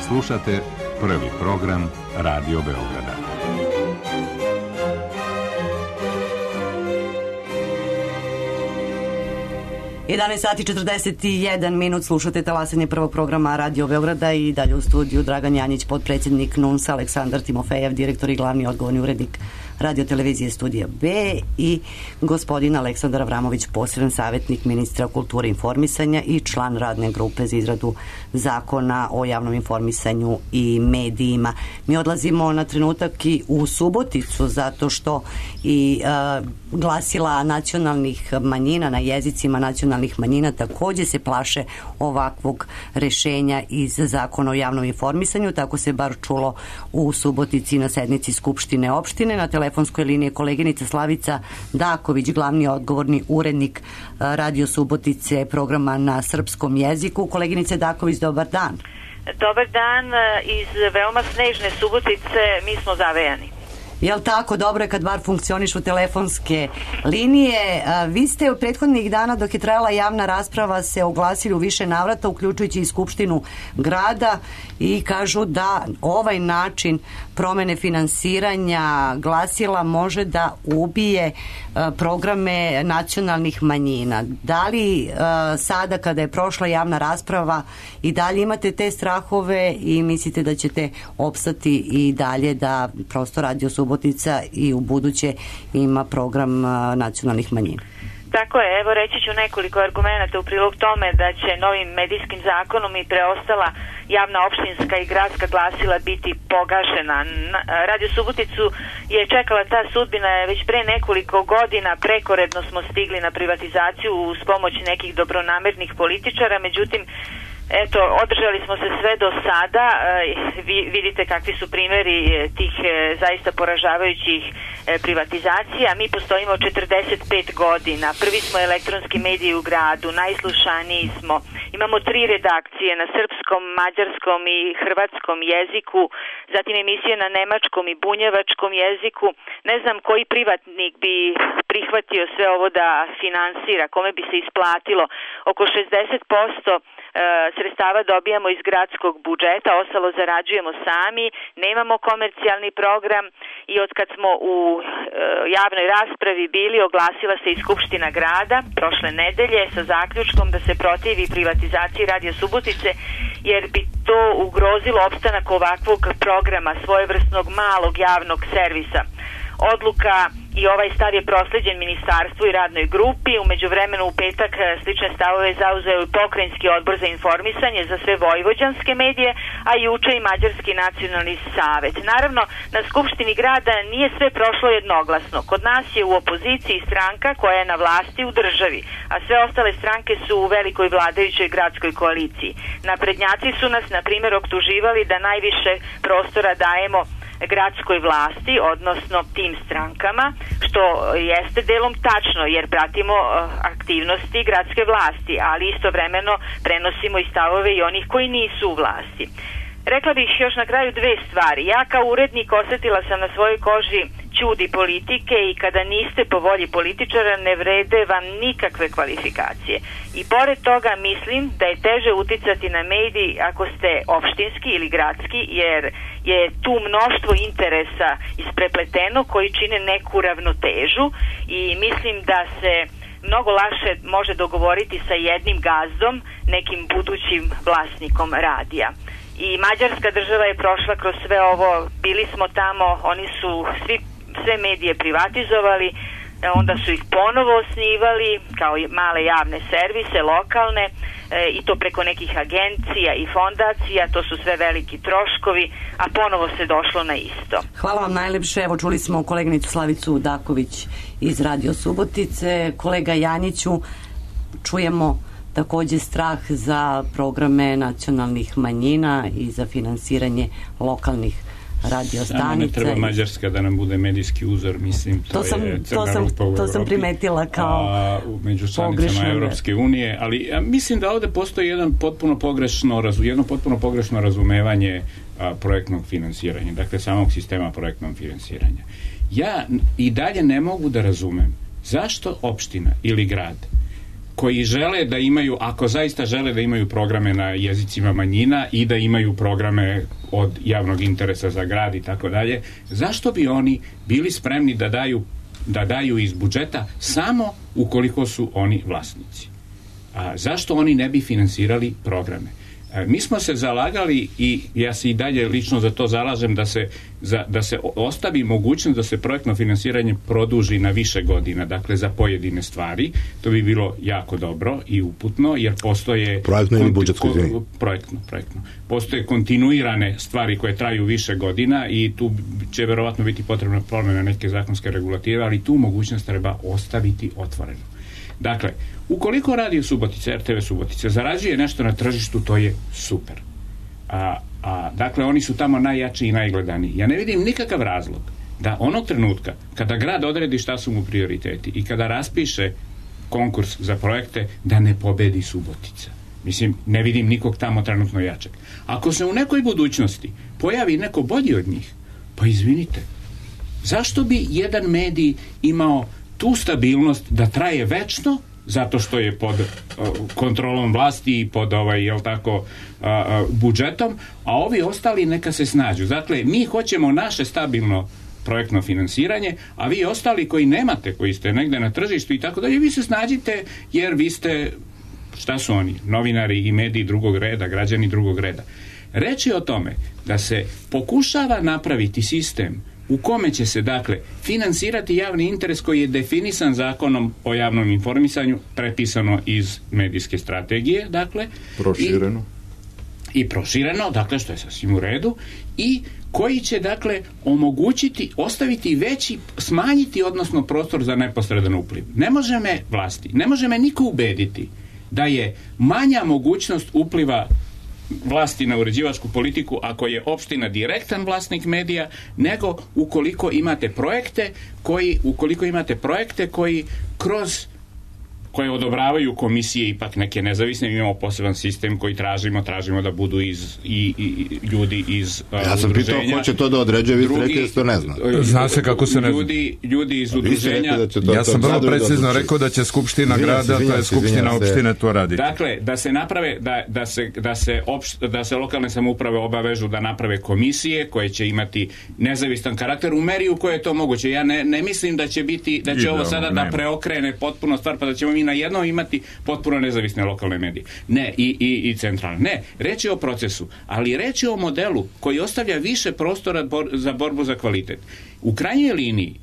Slušate prvi program Radio Beograda. Sati 41 minut, slušate talasanje prvog programa Radio Beograda i dalje u studiju Dragan Janjić, potpredsjednik NUNS, Aleksandar Timofejev, direktor i glavni odgovorni urednik Radio televizije Studija B i gospodin Aleksandar Avramović, poseban savjetnik ministra kulture i informisanja i član radne grupe za izradu zakona o javnom informisanju i medijima. Mi odlazimo na trenutak i u Suboticu zato što i glasila nacionalnih manjina na jezicima nacionalnih manjina također se plaše ovakvog rešenja iz zakona o javnom informisanju. Tako se bar čulo u Subotici na sednici Skupštine opštine. Na telefonskoj liniji je koleginica Slavica Daković, glavni odgovorni urednik Radio Subotice, programa na srpskom jeziku. Koleginice Daković, dobar dan. Dobar dan, iz veoma snežne Subotice mi smo zavejani. Jel tako? Dobro je kad bar funkcionišu telefonske linije. Vi ste u prethodnih dana dok je trajala javna rasprava se oglasili u više navrata, uključujući i Skupštinu grada, i kažu da ovaj način promene finansiranja glasila može da ubije programe nacionalnih manjina. Da li sada kada je prošla javna rasprava i dalje imate te strahove i mislite da ćete opstati i dalje da prosto Radio Subotica i u buduće ima program nacionalnih manjina? Tako je, evo reći ću nekoliko argumenata u prilog tome da će novim medijskim zakonom i preostala javna opštinska i gradska glasila biti pogašena. Radio Suboticu je čekala ta sudbina već pre nekoliko godina, prekoredno smo stigli na privatizaciju uz pomoć nekih dobronamernih političara, međutim eto, održali smo se sve do sada. Vidite kakvi su primjeri tih zaista poražavajućih privatizacija. Mi postojimo 45 godina. Prvi smo elektronski mediji u gradu, najslušaniji smo. Imamo 3 redakcije na srpskom, mađarskom i hrvatskom jeziku, zatim emisije na nemačkom i bunjevačkom jeziku. Ne znam koji privatnik bi prihvatio sve ovo da finansira, kome bi se isplatilo. Oko 60% sredstava dobijamo iz gradskog budžeta, ostalo zarađujemo sami, nemamo komercijalni program i od kad smo u javnoj raspravi bili, oglasila se i Skupština grada prošle nedelje sa zaključkom da se protivi privatizaciji Radio Subotice, jer bi to ugrozilo opstanak ovakvog programa, svojevrsnog malog javnog servisa. Odluka i ovaj stav je prosleđen ministarstvu i radnoj grupi. U međuvremenu u petak slične stavove zauzeo i Pokrajinski odbor za informisanje za sve vojvođanske medije, a juče i Mađarski nacionalni savet. Naravno, na Skupštini grada nije sve prošlo jednoglasno. Kod nas je u opoziciji stranka koja je na vlasti u državi, a sve ostale stranke su u velikoj vladajućoj gradskoj koaliciji. Naprednjaci su nas, na primjer, optuživali da najviše prostora dajemo gradskoj vlasti, odnosno tim strankama, što jeste delom tačno, jer pratimo aktivnosti gradske vlasti, ali istovremeno prenosimo i stavove i onih koji nisu u vlasti. Rekla bih još na kraju 2 stvari. Ja kao urednik osetila sam na svojoj koži ćudi politike i kada niste po volji političara ne vrede vam nikakve kvalifikacije. I pored toga mislim da je teže uticati na mediji ako ste opštinski ili gradski, jer je tu mnoštvo interesa isprepleteno koji čine neku ravnotežu i mislim da se mnogo lakše može dogovoriti sa jednim gazdom, nekim budućim vlasnikom radija. I Mađarska država je prošla kroz sve ovo, bili smo tamo, oni su sve medije privatizovali, onda su ih ponovo osnivali kao male javne servise, lokalne, i to preko nekih agencija i fondacija, to su sve veliki troškovi, a ponovo se došlo na isto. Hvala vam najlepše, evo čuli smo koleginicu Slavicu Daković iz Radio Subotice. Kolega Janjiću, čujemo takođe strah za programe nacionalnih manjina i za finansiranje lokalnih radio stanica. Samo ne treba Mađarska da nam bude medijski uzor, mislim, to je crna rupa u Evropi. To sam primetila kao među članicama Evropske unije, ali ja mislim da ovde postoji jedno potpuno pogrešno razumevanje projektnog finansiranja, dakle samog sistema projektnog finansiranja. Ja i dalje ne mogu da razumem zašto opština ili grad koji žele da imaju, ako zaista žele da imaju programe na jezicima manjina i da imaju programe od javnog interesa za grad i tako dalje, zašto bi oni bili spremni da daju iz budžeta samo ukoliko su oni vlasnici? Zašto oni ne bi finansirali programe? Mi smo se zalagali i ja se i dalje lično za to zalažem da se ostavi mogućnost da se projektno finansiranje produži na više godina, dakle za pojedine stvari. To bi bilo jako dobro i uputno, jer postoje projektno ili budžetsko, projektno. Postoje kontinuirane stvari koje traju više godina i tu će verovatno biti potrebna promena neke zakonske regulative, ali tu mogućnost treba ostaviti otvoreno. Dakle, ukoliko Radio Subotica, RTV Subotica zarađuje nešto na tržištu, to je super. Dakle, oni su tamo najjači i najgledaniji. Ja ne vidim nikakav razlog da onog trenutka kada grad odredi šta su mu prioriteti i kada raspiše konkurs za projekte, da ne pobedi Subotica. Mislim, ne vidim nikog tamo trenutno jačeg. Ako se u nekoj budućnosti pojavi neko bolji od njih, pa izvinite, zašto bi jedan medij imao tu stabilnost da traje večno, zato što je pod kontrolom vlasti i pod budžetom, a ovi ostali neka se snađu. Dakle, mi hoćemo naše stabilno projektno finansiranje, a vi ostali koji nemate, koji ste negde na tržištu i tako dalje, vi se snađite jer vi ste, šta su oni, novinari i mediji drugog reda, građani drugog reda. Reč je o tome da se pokušava napraviti sistem u kome će se, dakle, finansirati javni interes koji je definisan Zakonom o javnom informisanju, prepisano iz medijske strategije, dakle, i prošireno, dakle, što je sasvim u redu, i koji će, dakle, omogućiti, ostaviti veći, smanjiti, odnosno prostor za neposredan upliv. Ne može me vlasti, ne može me niko ubediti da je manja mogućnost upliva vlasti na uređivačku politiku ako je opština direktan vlasnik medija, nego ukoliko imate projekte koji kroz koje odobravaju komisije, ipak neke nezavisne, imamo poseban sistem koji tražimo da budu i ljudi iz udruženja. Ja sam pitao ko će to da određuje, vi ste rekli da se to ne zna. Zna se kako se ne zna. Ljudi iz udruženja. Ja sam vrlo precizno rekao da će Skupština grada, to je Skupština opštine to raditi. Dakle, da se naprave, da se lokalne samouprave obavežu da naprave komisije koje će imati nezavistan karakter u meri u kojoj je to moguće. Ja ne mislim da će ovo sada da preokrene potpuno stvar, pa da ćemo mi na jednom imati potpuno nezavisne lokalne medije. Ne, i centralne. Ne, reč je o procesu, ali reč je o modelu koji ostavlja više prostora za borbu za kvalitet. U krajnjoj liniji,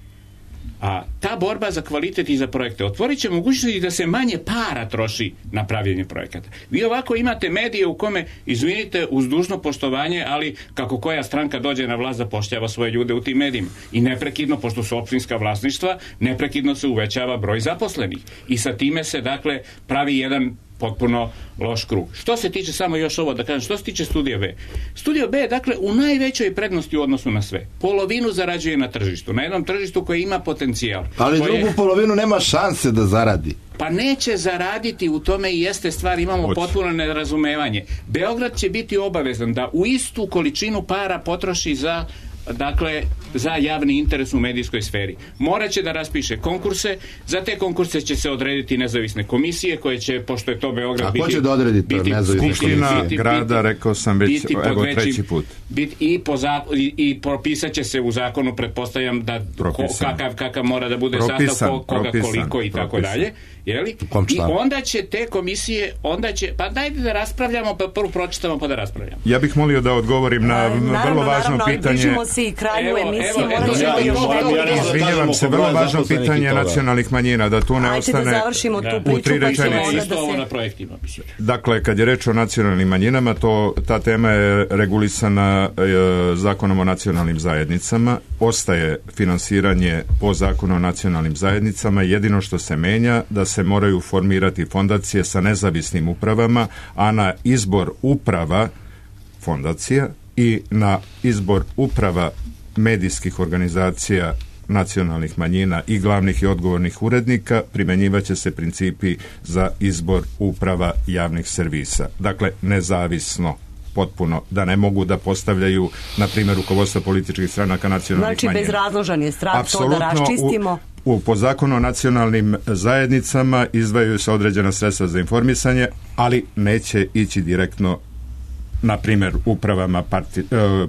a ta borba za kvalitet i za projekte otvorit će mogućnosti da se manje para troši na pravljenje projekata. Vi ovako imate medije u kome, izvinite, uz dužno poštovanje, ali kako koja stranka dođe na vlast zapošljava svoje ljude u tim medijima. I neprekidno, pošto su opštinska vlasništva, neprekidno se uvećava broj zaposlenih. I sa time se, dakle, pravi jedan potpuno loš krug. Što se tiče, samo još ovo da kažem, što se tiče Studija B. Studio B je, dakle, u najvećoj prednosti u odnosu na sve. Polovinu zarađuje na tržištu. Na jednom tržištu koji ima potencijal. Ali drugu polovinu nema šanse da zaradi. Pa neće zaraditi, u tome i jeste stvar, imamo potpuno nerazumevanje. Beograd će biti obavezan da u istu količinu para potroši za javni interes u medijskoj sferi. Moraće da raspiše konkurse, za te konkurse će se odrediti nezavisne komisije koje će, pošto je to Beograd biti... A ko će da odredi to nezavisne komisije? Skupština grada, rekao sam već, evo treći put. I propisat će se u zakonu, pretpostavljam da kakav mora da bude sastav, koga koliko i tako dalje. I onda će te komisije, pa dajte da raspravljamo, pa prvo pročitamo pa da raspravljamo. Ja bih molio da odgovorim na vrlo važno pitanje. I kraju emisije. Izvinjavam se, vrlo važno pitanje nacionalnih manjina, da tu ne ostane u tri rečenice. Dakle, kad je reč o nacionalnim manjinama, ta tema je regulisana Zakonom o nacionalnim zajednicama, ostaje finansiranje po Zakonu o nacionalnim zajednicama, jedino što se menja da se moraju formirati fondacije sa nezavisnim upravama, a na izbor uprava fondacija i na izbor uprava medijskih organizacija nacionalnih manjina i glavnih i odgovornih urednika primjenjivaće se principi za izbor uprava javnih servisa. Dakle, nezavisno potpuno, da ne mogu da postavljaju, na primjer, rukovodstva političkih stranaka nacionalnih manjina. Znači, bezrazložan je strah, to da raščistimo. Po Zakonu o nacionalnim zajednicama izdvajaju se određena sredstva za informisanje, ali neće ići direktno, na primjer, upravama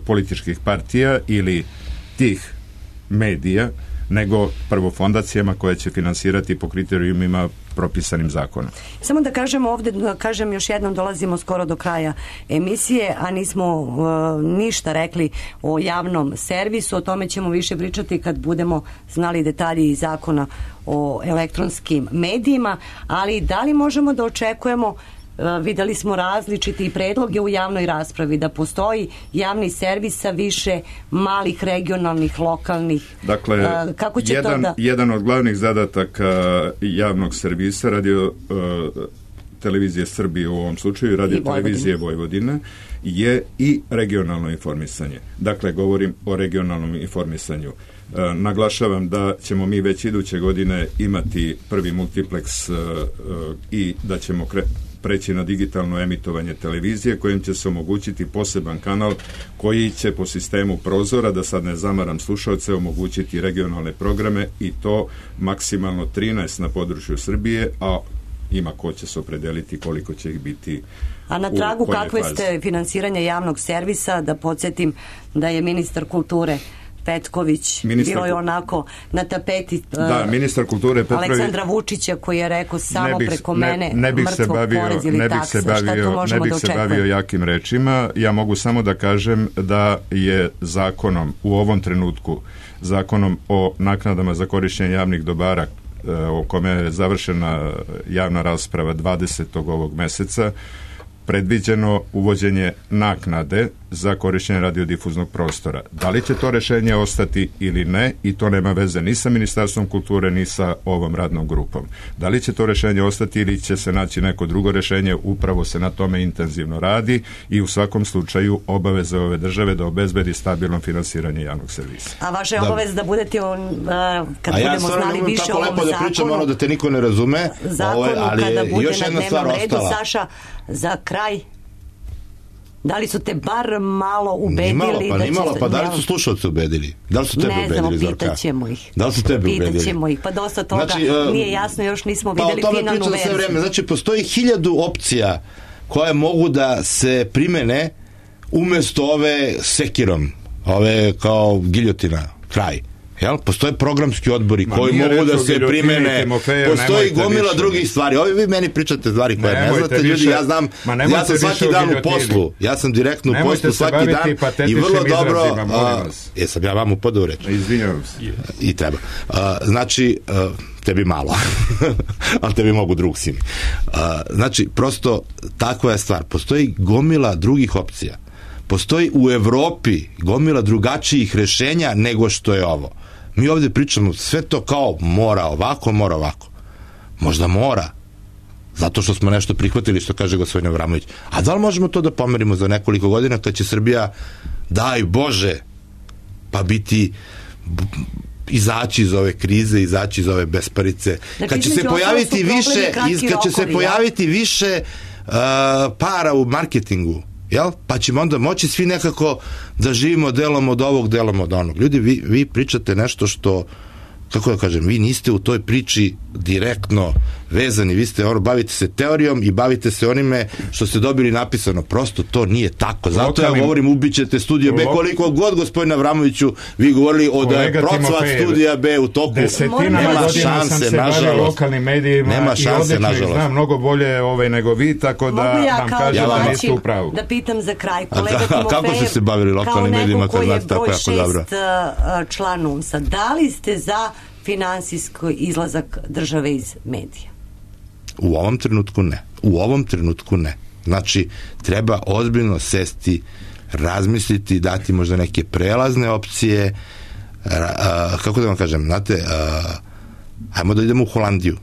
političkih partija ili tih medija, nego prvo fondacijama koje će finansirati po kriterijumima propisanim zakonom. Samo da kažem ovdje, još jednom, dolazimo skoro do kraja emisije, a nismo ništa rekli o javnom servisu, o tome ćemo više pričati kad budemo znali detalji iz zakona o elektronskim medijima, ali da li možemo da očekujemo, vidjeli smo različiti predloge u javnoj raspravi, da postoji javni servis sa više malih, regionalnih, lokalnih. Dakle, kako će jedan od glavnih zadataka javnog servisa, radio televizije Srbije u ovom slučaju, radio televizije Vojvodine, je i regionalno informisanje. Dakle, govorim o regionalnom informisanju. Naglašavam da ćemo mi već iduće godine imati prvi multipleks i da ćemo preći na digitalno emitovanje televizije, kojim će se omogućiti poseban kanal koji će po sistemu prozora, da sad ne zamaram slušalce, omogućiti regionalne programe, i to maksimalno 13 na području Srbije, a ima ko će se opredeliti koliko će ih biti. A na tragu kakve ste finansiranja javnog servisa, da podsjetim da je ministar kulture Petković, bilo je onako na tapeti ministar kulture Petrović, Aleksandra Vučića koji je rekao samo preko mene mrtvog porez ili takse, šta tu možemo da očekujemo? Ne bih se bavio jakim rečima, ja mogu samo da kažem da je zakonom u ovom trenutku, zakonom o naknadama za korišćenje javnih dobara o kome je završena javna rasprava 20. ovog meseca, predviđeno uvođenje naknade za korišćenje radiodifuznog prostora. Da li će to rešenje ostati ili ne, i to nema veze ni sa Ministarstvom kulture ni sa ovom radnom grupom. Da li će to rešenje ostati ili će se naći neko drugo rešenje, upravo se na tome intenzivno radi i u svakom slučaju obaveze ove države da obezbedi stabilno finansiranje javnog servisa. A vaša je obaveza da budete kad budemo znali više o ovom zakonu, da pričam, da te niko ne razume, ali kada bude na dnevnom redu, Saša, za kraj, da li su te bar malo ubedili? Pa da li su slušalci ubedili? Da li su tebe ubedili, Zorka? Ne znamo, pitaćemo ih. Da li su tebe ubedili? Pitaćemo ih, pa dosta toga nije jasno, još nismo videli finalnu verziju. Sve vreme. Znači, postoji 1000 opcija koje mogu da se primene umesto ove sekirom, ove kao giljotina, kraj. Jel? Postoje programski odbori koji mogu da se primene, postoji gomila drugih stvari. Ovi vi meni pričate stvari koje ne znate, ljudi, ja znam, ja sam svaki dan u poslu, ja sam direktno u poslu svaki dan i vrlo dobro, jesam ja vam upadao u reč. Izvinjavam se. I treba. Znači, tebi malo, ali tebi mogu drug si mi. Znači, prosto takva je stvar. Postoji gomila drugih opcija. Postoji u Evropi gomila drugačijih rešenja nego što je ovo. Mi ovdje pričamo sve to kao mora ovako, mora ovako. Možda mora, zato što smo nešto prihvatili, što kaže gospodin Avramović. A da li možemo to da pomerimo za nekoliko godina kad će Srbija, daj Bože, pa biti, izaći iz ove krize, izaći iz ove besparice, kad će se pojaviti više para u marketingu, jel? Pa ćemo onda moći svi nekako da živimo delom od ovog, delom od onog. Ljudi, vi pričate nešto što, kako da kažem, vi niste u toj priči direktno vezani, vi ste bavite se teorijom i bavite se onime što ste dobili napisano. Prosto to nije tako. Zato ja govorim, ubićete Studio B, koliko god, gospodine Avramoviću, vi govorili da je procvat Studija B u toku. Desetinama godina sam se bavio lokalnim medijima i odlično ih znam mnogo bolje nego vi, tako da vam kažem da niste u pravu. Da pitam za kraj, kolega Timofejev, kako ste se bavili lokalnim medijima kad znate tako jako dobro? Kao neko koji je broj 6 član UNS-a, da li ste za finansijski izlazak države iz medija? U ovom trenutku ne. Znači, treba ozbiljno sesti, razmisliti, dati možda neke prelazne opcije, kako da vam kažem, znate, ajmo da idemo u Holandiju,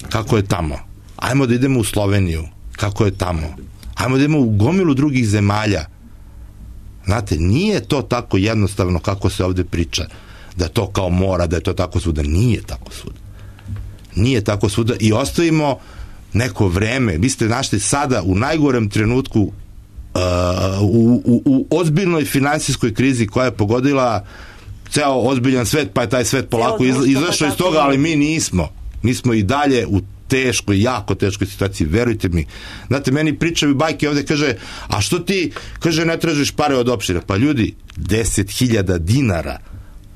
kako je tamo, ajmo da idemo u Sloveniju, kako je tamo, ajmo da idemo u gomilu drugih zemalja. Znate, nije to tako jednostavno kako se ovde priča, da to kao mora, da je to tako svuda. Nije tako svuda i ostavimo neko vreme. Vi ste našli sada u najgorem trenutku u ozbiljnoj finansijskoj krizi koja je pogodila ceo ozbiljan svet, pa je taj svet polako izašao iz toga, ali mi nismo. Mi smo i dalje u teškoj, jako teškoj situaciji, verujte mi. Znate, meni pričaju bajke ovde, kaže, a što ti, kaže, ne tražiš pare od opštine? Pa ljudi, 10.000 dinara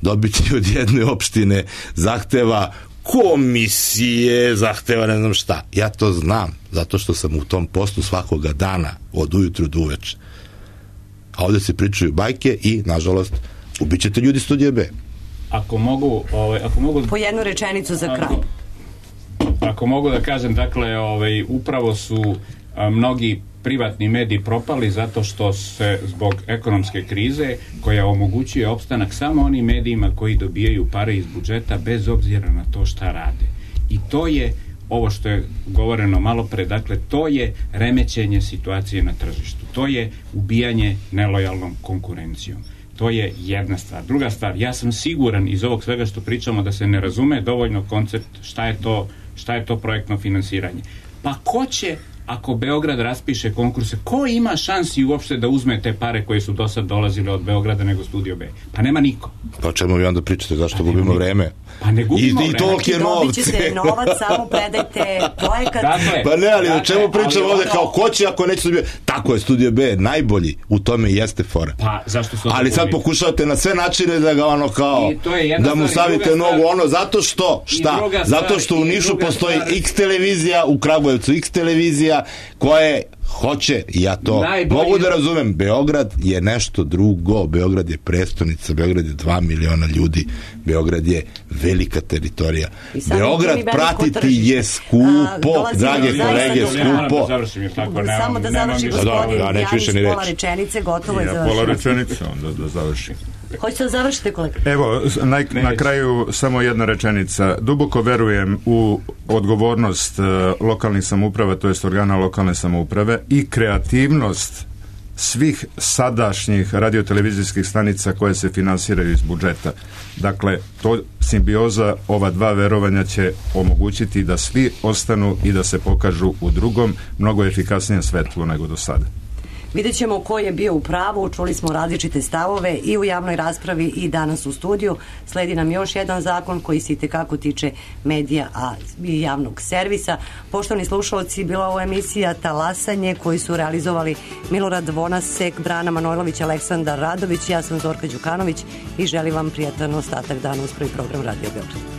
dobiti od jedne opštine zahteva komisije, zahteva ne znam šta. Ja to znam, zato što sam u tom poslu svakoga dana, od ujutru do uveče. A ovde se pričaju bajke i, nažalost, ubićete ljudi Studija B. Ako mogu... Po jednu rečenicu za kraj. Ako mogu da kažem, dakle, upravo su mnogi privatni mediji propali zato što se zbog ekonomske krize koja omogućuje opstanak samo onim medijima koji dobijaju pare iz budžeta bez obzira na to šta rade. I to je ovo što je govoreno malo pre, dakle, to je remećenje situacije na tržištu. To je ubijanje nelojalnom konkurencijom. To je jedna stvar. Druga stvar, ja sam siguran iz ovog svega što pričamo da se ne razume dovoljno koncept šta je to projektno finansiranje. Pa ko će ako Beograd raspiše konkurse, ko ima šansi uopšte da uzme te pare koje su do sad dolazile od Beograda nego Studio B? Pa nema niko. Pa o čemu vi onda pričate, zašto gubimo vreme? Pa ne gubimo vreme. I tolike novce. Dobit ćete novac, samo predajte projekat. Dakle, pa ne, ali o čemu pričamo ovde, kao ko će ako neće Studio B? Tako je, Studio B je najbolji, u tome i jeste fora. Pa, zašto su ali sad pokušavate na sve načine da ga ono kao, da mu stavite nogu, ono, zato što, šta? Zato što u Nišu postoji X televizija, u Kragujevcu X televizija, koje hoće, ja to mogu da razumem, Beograd je nešto drugo, Beograd je prestonica, Beograd je 2 miliona ljudi, Beograd je velika teritorija. Beograd pratiti je skupo, drage kolege, skupo. Samo da završi gospodin Janić, pola rečenice, gotovo je završeno. Pola rečenice, onda da završim. Hoćete da završite, kolega? Evo, na kraju samo jedna rečenica. Duboko verujem u odgovornost lokalnih samouprava, to jest organa lokalne samouprave i kreativnost svih sadašnjih radiotelevizijskih stanica koje se finansiraju iz budžeta. Dakle, to simbioza ova dva verovanja će omogućiti da svi ostanu i da se pokažu u drugom, mnogo efikasnijem svetlu nego do sada. Vidjet ćemo ko je bio u pravu, čuli smo različite stavove i u javnoj raspravi i danas u studiju. Sledi nam još jedan zakon koji se itekako tiče medija i javnog servisa. Poštovani slušalci, bila ovo emisija Talasanje koju su realizovali Milorad Vonasek, Brana Manojlović, Aleksandar Radović, ja sam Zorka Đukanović i želim vam prijatan ostatak dana uz prvi program Radio Beograd.